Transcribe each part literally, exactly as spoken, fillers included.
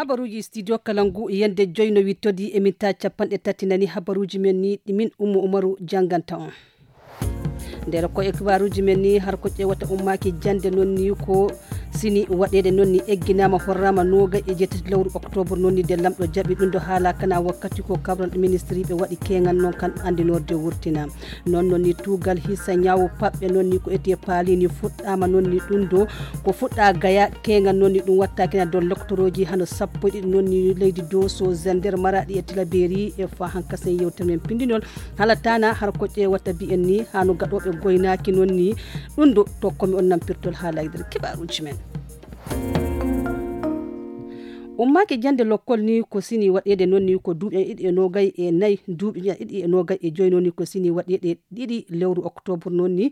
Habaruuji studio kala ngu yende joyno wittodi e minta capanɗe tati nani habaruuji men ni ɗi min Ummu Umaru jannganta on. Nder ko e kibaruuji men ni har ko ƴeewata ummaaki jannde noon ni ko sini waɗeede noon ni egginaama horraama nooga e jeetati lewru oktoobar noon ni de lamɗo jaɓi ɗum ɗo haala kana wakkati ko kabral ministri ɓe waɗi keeŋan noon kan anndinoorde wurtina. Noon noon ni tuugal hisa ñaawo paɓɓe noon ni ko eti e paali ni fuɗɗaama noon ni ɗum ɗo ko fuɗɗa gaya keeŋan noon ni ɗum wattaaki na dow loktorooji hano sappo e ɗiɗi noon ni leydi doso zender maraɗi e tilaberi e fa hankasen yewtere men pindinol. Hala tana har ko ƴeewata mbiyen ni hano gaɗooɓe goynaaki noon ni ɗum ɗo tokkomi on nampirtol haalaydere kibaruuji men. Ummaaki jannde lokkol ni ko sini waɗeede noon ni ko duuɓi ɗiɗi e noogay e nayi duuɓi ɗiɗi e noogay e joyi noon ni ko sini waɗeede ɗiɗi lewru oktoobar noon ni.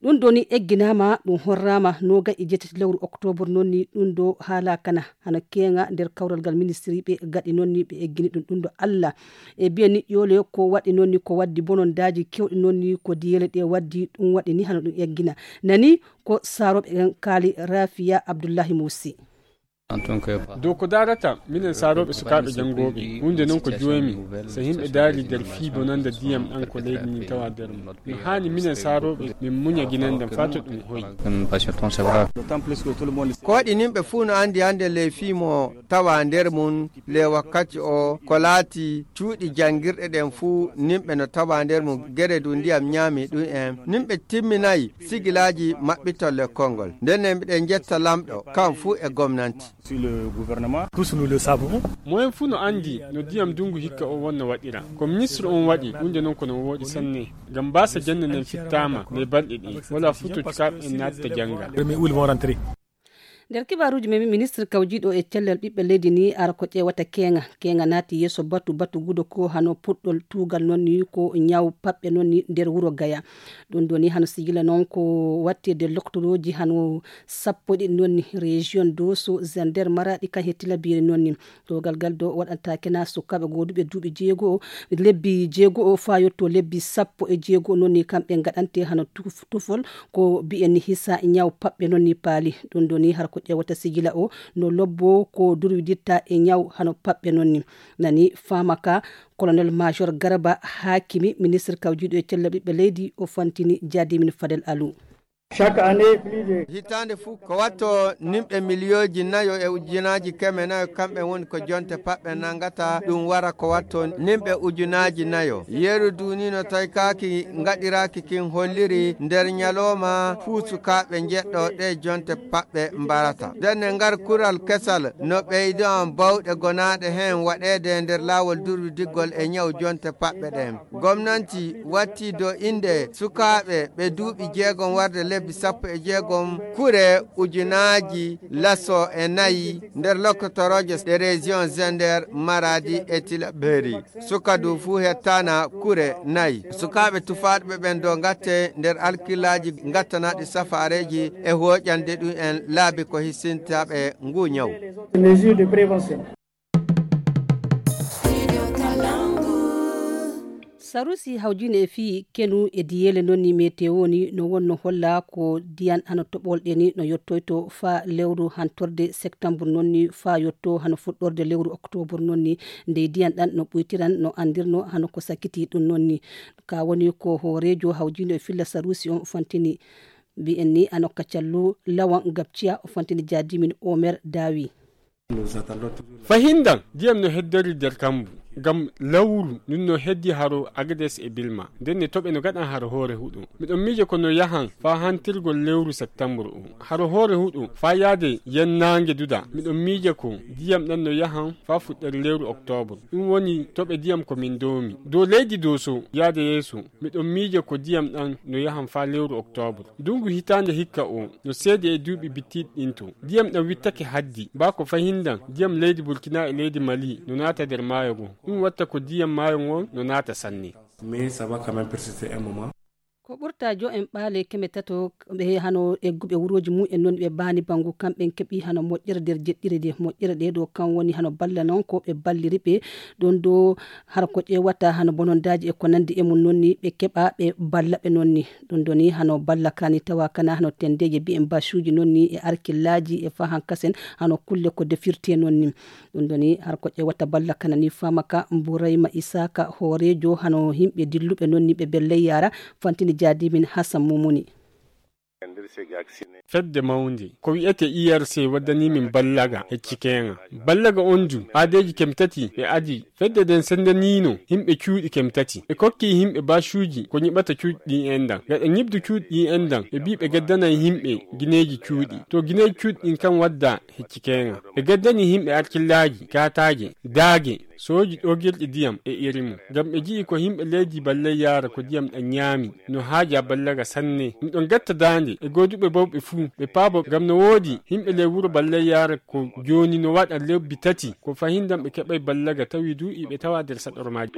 Ɗum ɗo ni egginaama ɗum horraama noogay e jeetati lewru oktoobar noon ni ɗum ɗo haala kana hano keeŋa nder kawral ngal ministri ɓe gaɗi noon ni ɓe eggini ɗum ɗum ɗo Allah e biya ni ƴoole ko waɗi noon ni ko waddi bonondaaji kewɗi noon ni ko diyele ɗe waddi ɗum waɗi ni hano ɗum eggina nani ko saarooɓe en kaali Rafiya Abdullahi Musi. Dow ko daarata minen saarooɓe sukaaɓe janngooɓe huunde noon ko joomi so yimɓe daari nder fii bonannda ndiyam ɗam ko leydi ndin tawa nder mum no haani minen saarooɓe min muña ginanndam faa to ɗum hoyi. Ko waɗi nimɓe fuu no anndi hannde ley fii mo tawa nder mum le wakkati o ko laati cuuɗi janngirɗe ɗen fuu nimɓe no tawa nder mum gere du ndiyam ñaami ɗum en nimɓe timminayi sigilaaji maɓɓitol lekkol ngol nden ne mbiɗen njetta lamɗo kam fuu e gomnanti. Moyen fuu no anndi no ndiyam ndunngu hikka o wonno waɗira ko ministre on waɗi huunde noon ko no wooɗi sanne ngam mbaasa jannde nden fittaama ley balɗe ɗi wala fuu to cukaaɓe en naatta jannga. Nder kibaaruuji men ministre kawjiiɗo e cellal ɓiɓɓe leydi ni ara ko ƴeewata keeŋa keeŋa naati yeeso batu batu gudo ko hano puɗɗol tuugal noon ni ko ñaw paɓɓe noon ni nder wuro gaya. Ɗum ɗo ni hano sigila noon ko wattede loktorooji hano sappo ɗiɗi noon ni région doso zender maraɗi kan he tilabiri noon ni. Dogal gal do waɗanta kena sukaaɓe gooduɓe duuɓi jeego lebbi jeego faa yotto lebbi sappo e jeego noon ni kamɓe ngaɗante hano tufol ko bi'en ni hisa ñaw paɓɓe noon ni paali. Ɗum ɗo ni har ko ƴeewata sigila o no lobbo ko durwiditta e ñaw hano paɓɓe noon ni. Nani faama ka colonel major garaba haakimi ministre kawjiiɗo e cella ɓiɓɓe leydi o fantini jaadimin fadel alu. Hitaande fuu ko watto nimɓe miliyooji nayo e ujunaaji keme nayo kamɓe woni ko jonte paɓɓe nangata ɗum wara ko watto nimɓe ujunaaji nayo yeru dunino taykaaki ngaɗiraaki kin holliri nder ñalooma fuu sukaaɓe njeɗɗo ɗe jonte paɓɓe mbarata ndenne ngar kural kesal no ɓeydo bawɗe gonaaɗe heen waɗeede nder laawol durwidiggol e ñaw jonte paɓɓe ɗen. Gomnanti watti do innde sukaaɓe ɓe duuɓi jeegom warde lebbi sappo e jeegom kure ujunaaji laso e nayi nder lokkotorooje ɗe région Zender, Maradi e Tilaberi. Suka du fuu hettaana kure nayi. Sukaaɓe tufaaɗo ɓe ɓen do ngatte nder alkillaaji ngattanaaɗi safaareeji e hooƴande ɗum en laabi ko hisintaaɓe nguu ñaw. Sarusi hawjine e fii kenu e diyeele noon ni meteo ni no wonno holla ko diyan hano toɓolɗe ni no yottoyto faa lewru hantorde septembre noon ni faa yotto hano fuɗɗorde lewru octobre noon ni ndey diyan ɗan no ɓuytiran no andirno hano ko sakiti ɗum noon ni. Ka woni ko hooreejo hawjine e filla sarusi on fantini mbi'en ni ano kacallu lawan gabciya o fantini jaadimin omer daawi. Fahindan diyam no heddori nder kambu ngam lawru ndun no heddi haro agades e bilma nden ne toɓe no gaɗan haro hoore huɗo. Miɗon miije ko no yahan faa hantirgol lewru septambur o haro hoore huɗo faa yaade yennaange duda. Miɗon miije ko diyam ɗan no yahan faa fuɗɗere lewru oktobur. Ɗum woni toɓe diyam ko min doomi dow leydi doso yaade yeeso. Miɗon miije ko diyam ɗan no yahan faa lewru oktobur. Ndungu hitaande hikka o no seedi e duuɓi bittiiɗi ɗin to diyam ɗan wittake haddi baa ko fahindan diyam leydi burkina e leydi mali no naata nder maayo ngon. Ɗum watta ko diyam maayo ngon no naata sanne. Mais ça va quand même persister un moment. Ko ɓurta jo en ɓaale keme tato ɓe hano egguɓe wurooji mum en noon ɓe baani banngu kamɓe en keɓi hano moƴƴere nder jeɗɗire nde moƴƴere ɗe ɗo kam woni hano balla noon ko ɓe balliri ɓe ɗon ɗo har ko ƴeewata hano bonondaaji e ko nanndi e mum noon ni ɓe keɓa ɓe balla ɓe noon ni ɗum ɗo ni hano balla kani tawa kana hano tendeeje mbiyen basuuji noon ni e arkillaaji e fahan kasen hano kulle ko defirte noon ni. Ɗum ɗo ni har ko ƴeewata balla kana ni famaka mburayma isaka hooreejo hano yimɓe dilluɓe noon ni ɓe belley yaara fantini jaadi min hasan mumuni. Fedde mawnde ko wiyete I R C waddani min ballaga e cikenga. Ballaga on du aadeeji kem tati ɓe adi. Fedde nden sendaniino yimɓe cuuɗi kem tati. Ɓe kokki yimɓe basuuji ko nyiɓata cuuɗi ɗin endan. Gaɗa nyiɓdu cuuɗi ɗin endan ɓe mbii ɓe gaddanay yimɓe gineeji cuuɗi. To gineeji cuuɗi ɗin kan wadda hecci keenga. Ɓe gaddani yimɓe arkillaaji, kaataaje, daage, sooji ɗogirɗi diyam e iri mum. Ngam ɓe ji'i ko yimɓe leydi ballay yaara ko diyam ɗan nyaami. No haaja ballaga sanne. Ɗum ɗon gatta daande e gooduɓe bawɓe fuu ɓe paabo ngam no woodi yimɓe ley wuro ballay yaara ko jooni no waɗa lebbi tati ko fahindan ɓe keɓay ballaga tawi du iɓe tawa nder saɗormaaji.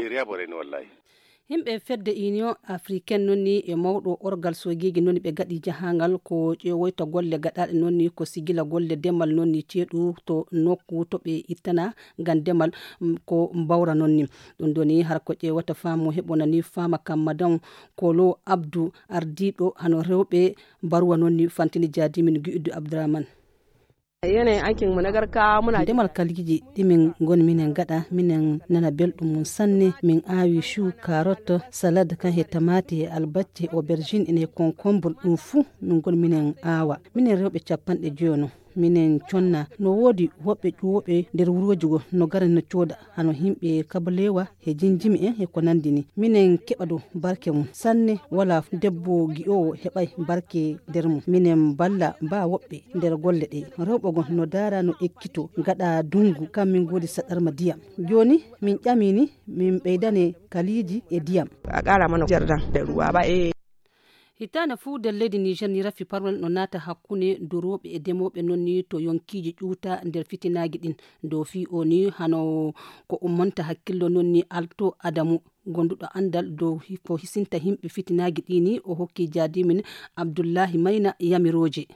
Yimɓe fedde union africaine noon ni e mawɗo orgal sogeeji noon ni ɓe gaɗi jahangal ko ƴeewoyta golle gaɗaaɗe noon ni ko sigila golle demal noon ni ceeɗu to nokku to ɓe ittana ngam demal ko mbawra noon ni. Ɗum ɗo ni har ko ƴeewata faamu heɓona ni faama kam madan kolo abdu ardiiɗo hano rewɓe mbaruwa noon ni fantini jaadimin gi'uddu abdurahman. Yanayin aikin mu na garka muna demal kalgiji ɗimin ngon minen gaɗa minen nana belɗum mum sanne. Min aawi chou, carotte, salade kan he tamaate he albacce, aubergine ene concombre, ɗum fuu min ngon minen aawa. Minen rewɓe capanɗe joyono minen conna. No woodi woɓɓe ƴuwoɓe nder wurooji go no gara no cooda hano himɓe kabalewa he jinjimi en he ko nandi ni. Minen keɓa dow barke mum sanne. Wala debbo gi'owo heɓay barke nder mum. Minen balla ba woɓɓe nder golle ɗe. Rewɓe gon no daara no ekkito gaɗa dungu kam min godi saɗarma diyam. Joni min ƴamini min ɓeydane kaliiji e diyam. A qara mana jardin da ruwa ba e. Hitaande fuu nder leydi Niger ni rafi parwal no naata hakkunde durooɓe e demooɓe noon ni to yonkiiji ƴuuta nder fitinaaji ɗin. Dow fii o ni hano ko ummonta hakkillo noon ni Alto Adamu, gonduɗo anndal dow ko hisinta yimɓe fitinaaji ɗi ni, o hokki jaadimin Abdullahi Mayna yamirooje.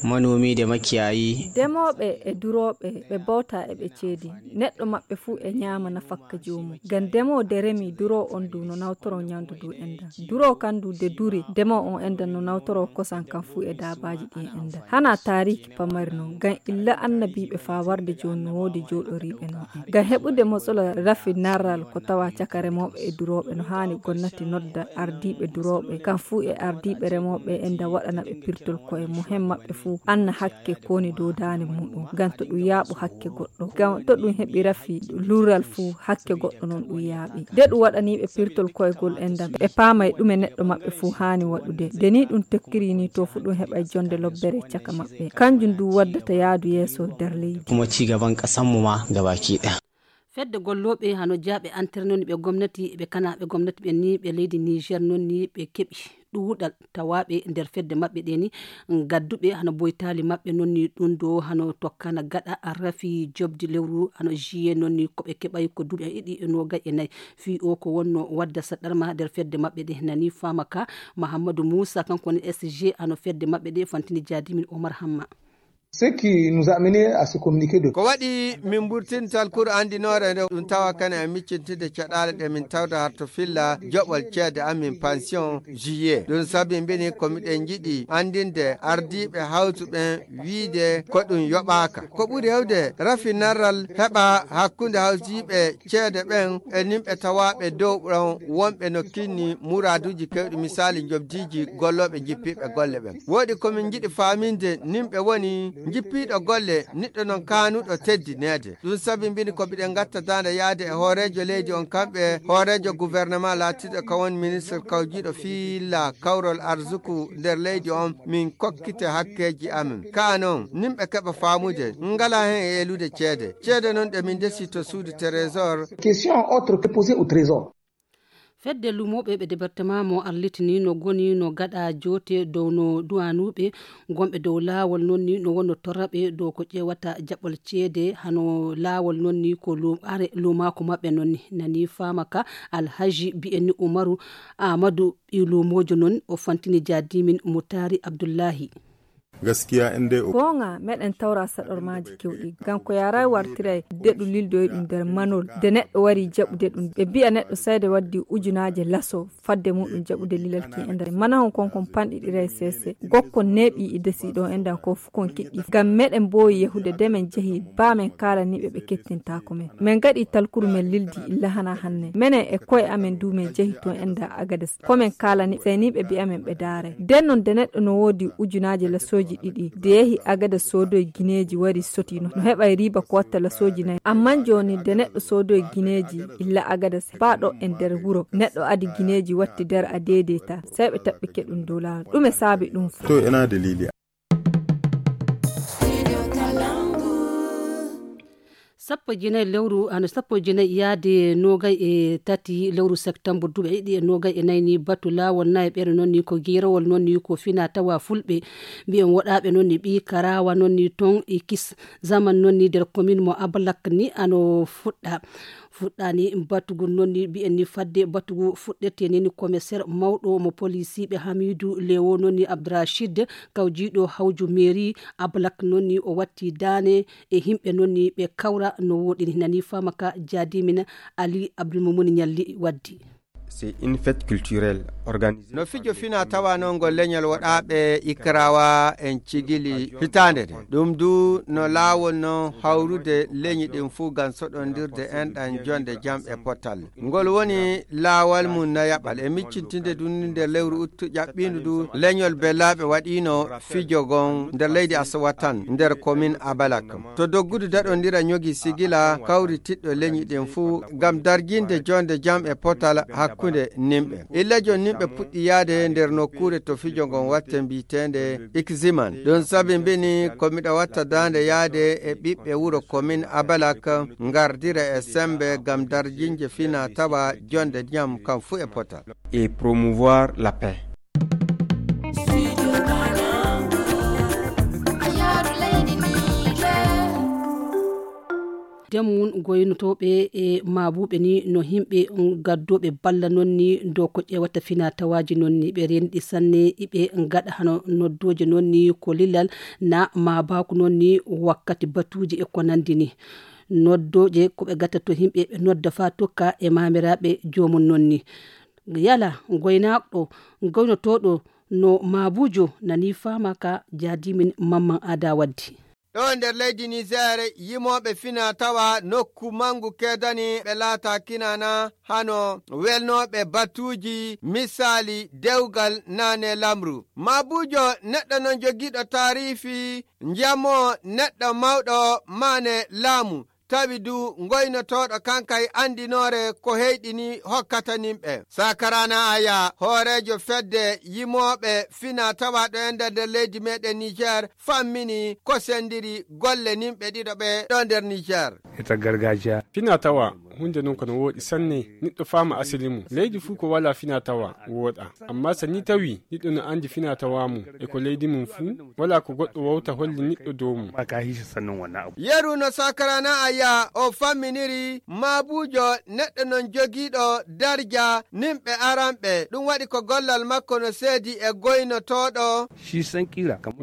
Manomi da makiyayi. Demooɓe e durooɓe ɓe bawta e ɓe ceedi. Neɗɗo maɓɓe fuu e nyaama nafakka joomum. Ngam demoo de remi duroo on du no nawtoro nyaamdu du endan. Duroo kan du de duri demoo on endan no nawtoro kosan kan fuu e daabaaji ɗi endan. Hana taariiki pamari non. Ngam illa annabiiɓe faa warde jooni no woodi jooɗoriiɓe non en. Ngam heɓude motsola rafi narral ko tawa caka remooɓe e durooɓe no haani gonnati nodda ardiiɓe durooɓe kan fuu e ardiiɓe remooɓe endan waɗana ɓe pirtol koye muhen maɓɓe fuu anna hakke ko woni dow daande muɗum. Ngam to ɗum yaaɓu hakke goɗɗo. Ngam to ɗum heɓi rafi lural fuu hakke goɗɗo non ɗum yaaɓi. De ɗum waɗaniiɓe pirtol koyegol endan ɓe paamay ɗume neɗɗo maɓɓe fuu haani waɗude. De ni ɗum tokkiri ni to fuu ɗum heɓay jonde lobbere caka maɓɓe. Kanjum du waddata yaadu yeeso nder leydi. Kuma ci gaban ƙasanmu ma gabaki ɗaya. Fedde gollooɓe hano jaaɓe antere noon ni ɓe gomnati ɓe kanaaɓe gomnati ɓen ni ɓe leydi Niger noon ni ɓe keɓi ɗuuɗal tawaaɓe nder fedde maɓɓe ɗe ni. Gadduɓe hano boytaali maɓɓe noon ni ɗum ɗo hano tokkana gaɗa rafi jobdi lewru hano juillet noon ni ko ɓe keɓay ko duuɓi ɗiɗi e noogay e nayi. Fii o ko wonno wadda saɗarma nder fedde maɓɓe ɗe nani faama ka. Mahammadu Muusa kanko woni S G hano fedde maɓɓe ɗe fantini jaadimin Omar Hamma. Ce qui nous a amené à ce communiqué de. Ko waɗi min mburtintal kuru anndinoore nde ɗum tawa kane e miccintinde caɗaale ɗe min tawda har to filla joɓol ceede amin pension juillet. Ɗum sabi mbini ko miɗen njiɗi anndinde ardiiɓe hawtu ɓen wiide ko ɗum yoɓaaka. Ko ɓuri hewde rafi narral heɓa hakkunde hawtiiɓe ceede ɓen e nimɓe tawaaɓe dow ɗon wonɓe no kinni muraaduuji kewɗi, misaali njobdiiji gollooɓe jippiiɓe golle ɓen. Woodi ko min njiɗi faaminde nimɓe woni jippiiɗo golle, niɗɗo non kaanuɗo teddineede. Ɗum sabi mbini ko mbiɗen ngatta daande yaade e hooreejo leydi on, kamɓe hooreejo gouvernement laatiiɗo ka woni ministre kawjiiɗo fiilla kawrol arsuku nder leydi on, min kokkite hakkeeji amin. Kaa non, nimɓe keɓa faamude, ngala hen e elude ceede. Ceede non ɗe min ndesi to suudu trésor. Question autre que posée au trésor. Fedde luumooɓe ɓe departement mo arlitini no goni no gaɗa joote dow no duwanuuɓe gonɓe dow laawol noon ni no wonno torraɓe dow ko ƴeewata jaɓɓol ceede hano laawol noon ni ko luumaako maɓɓe noon ni nani faama ka. Alhaji bi'enni umaru amadou ɓi luumoojo noon o fantini jaadimin mo taari abdullahi. Gaskiya in dai goonga meɗen tawra saɗormaaji kewɗi ngam ko yaray wartiray deɗu lildoyi ɗum nder manol. Nde neɗɗo wari jaɓude ɗum ɓe mbiya neɗɗo sayde waddi ujunaaje laso fadde muɗum jaɓude lilal ki e nder manahon kon kon panɗiɗiray sese gokkon neeɓi e desiɗo endan ko fu kon kiɗɗi ngam meɗen mboowi yahude nde men jehi ba men kaalaniɓe ɓe kettintaako men. Men ngaɗi talkuru men lildi illa hana hanne menen e koye amen du men jehi toon enda agades ko men kaalani seyniiɓe mbiya men ɓe daaray nden noon nde neɗɗo no woodi ujunaaje lasooji ɗiɗi nde yehi agades soodoy gineeji wari sotino no heɓay riiba ko watta lasooji nayi amman jooni nde neɗɗo soodoy gineeji illa agades baaɗo e nder wuro neɗɗo adi gineeji watti nder a deedeyta sey ɓe taɓɓike ɗum dow laawol ɗume saabi ɗum fof. Sappo e jeenayi lewru hano sappo e jeenayi yaade noogay e tati lewru septembre duuɓi ɗiɗi e noogay e nayi ni batu laawol nayi ɓeɗo noon ni ko giirowol noon ni ko fina tawa fulɓe mbiyen woɗaaɓe noon ni ɓi karawa noon ni toon e kis zaman noon ni nder commune mo ablak ni ano fuɗɗa fuɗɗani batugol noon ni mbiyen ni fadde batugu fuɗɗete ni ni commissaire mawɗo mo polisiiɓe hamidu lewo noon ni abdourachid kawjiiɗo hawju mairie ablak noon ni o watti daane e yimɓe noon ni ɓe kawra no wooɗi ni nani faama ka jaadimin ali abdoulmoumouni ñalli waddi. C'est une fête culturelle organisée no fijo fina tawa noon ngol leñol woɗaaɓe ikrawa en cigili hitaande nde ɗum du no laawol noon hawrude leñi ɗin fuu ngam soɗondirde enɗan jonde jam e potal ngol woni laawal mum nayaɓal e miccintinde dunni nder lewru uttu ƴaɓɓindu du leñol bellaaɓe waɗiino fijo ngon nder leydi asawa tan nder komin abalak to doggudu daɗondira ñogi sigila kawri tiɗɗo leñi ɗin fuu ngam darjinde jonde jam e potal hakkunde nimɓe illa jon nimɓe puɗɗi yaade nder nokkuure to fijo ngon watte mbiyeteende ikziman ɗum sabi mbini ko miɗo watta daande yaade e ɓiɓɓe wuro komin abalak ngardira e sembe ngam darjinje fina tawa jonde jam kam fuu e potal. Et promouvoir la paix. Demmun goynotooɓe e maabuɓe ni no yimɓe gaddooɓe balla noon ni dow ko ƴeewata fina tawaaji noon ni ɓe renɗi sanne iɓe ngaɗa hano noddooje noon ni ko lilal na maabaku noon ni wakkati batuuji e ko nanndi ni noddooje ko ɓe gatta to yimɓe ɓe nodda faa tokka e maamiraaɓe joomum noon ni yala goynaaɗo goynotooɗo no maabujo nani faama ka jaadimin mamman aada waddi. Ɗo nder leydi niger yimooɓe fina tawa nokku manngu keedani ɓe laata kinana hano welnooɓe batuuji misaali dewgal naane lamru maabujo neɗɗo non jogiiɗo taarifi njamo neɗɗo mawɗo maane laamu tawi du ngoynotooɗo kankay anndinoore ko heyɗini hokkata nimɓe sakarana aya hooreejo fedde yimooɓe fina tawaaɗo e nder nder leydi meɗen niger fammini ko sendiri golle nimɓe ɗiɗo ɓe ɗo nder niger. Ita gargajiya fina tawa hunde non kono wooɗi sanne. Neɗɗo faama asili mum leydi fuu ko wala fina tawa wooɗa. Amma so ni tawi neɗɗo no anndi fina tawa mum e ko leydi mum fuu wala ko goɗɗo wawta holli neɗɗo dow mum. Yeru no sakarana aya o famminiri maabujo neɗɗo non jogiiɗo darja nimɓe aranɓe ɗum waɗi ko gollal makko no seedi e goynotooɗo.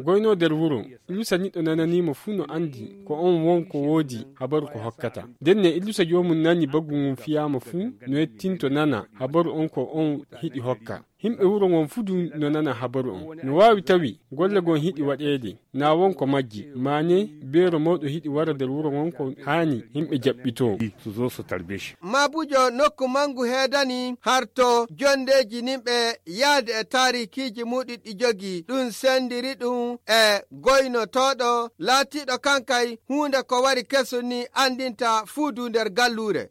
Goyno nder wuro lusa neɗɗo nananiimo fuu no anndi ko on won ko woodi habaru ko hokkata. Ndenne illusa joomum nani baggu ngun fiyaama fuu no yettinto nana habaru on ko on hiɗi hokka. Himɓe wuro ngon fuu du no nana habaru on. No waawi tawi golle gon hiɗi waɗeede na won ko majji maane beero mawɗo hiɗi wara nder wuro ngon ko haani himɓe jaɓɓitoo. Maabujo nokku manngu heedani harto jondeeji nimɓe yahde e taarikiiji muɗi ɗi jogii ɗum senndiri ɗum e goynotooɗo laatiiɗo kankay huunde ko wari kesun ni anndinta fuu du nder galluure.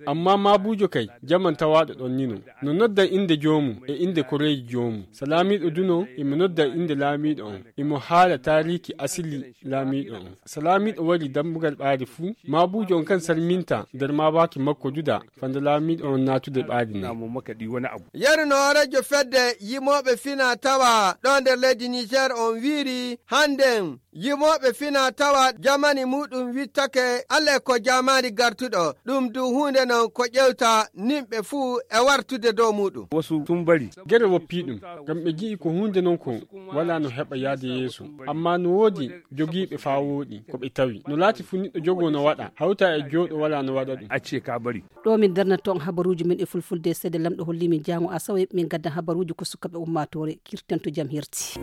Amma maabujo kay jaman tawaaɗo ɗon nino no noddan innde joomum e innde koreeji joomum. So laamiiɗo du noon, imo nodda e innde laamiiɗo on, imo haala taariiki asili laamiiɗo on. So laamiiɗo warii dambugal ɓaade fuu, maabuujo on kan salminta nder maabaaki makko duda, fanda laamiiɗo on naatude ɓaade nden. Yeru no hooreejo fedde yimooɓe fina tawa ɗo nder leydi Niger on wiiri hannden yimooɓe fina tawa jamani muɗum wittake alle ko jamani gartuɗo, ɗum du huunde non ko ƴewta nimɓe fuu e wartude dow muɗum. Wasu tumbari. Gere woppii ɗum, ngam ɓe ngi'i ko huunde non ko walaa no heɓa yaade yeeso. Ammaa no woodi jogiiɓe faa wooɗi ko ɓe tawi. No laati fuu niɗɗo jogoo no waɗa, hawta e jooɗo walaa no waɗa ɗum. Acce ka bari. Ɗo min darnata on habaruuji men e fulfulde, seede lamɗo holli min jaango asawe min gadda habaruuji ko sukaɓe ummaatoore kirtanto jam hirti.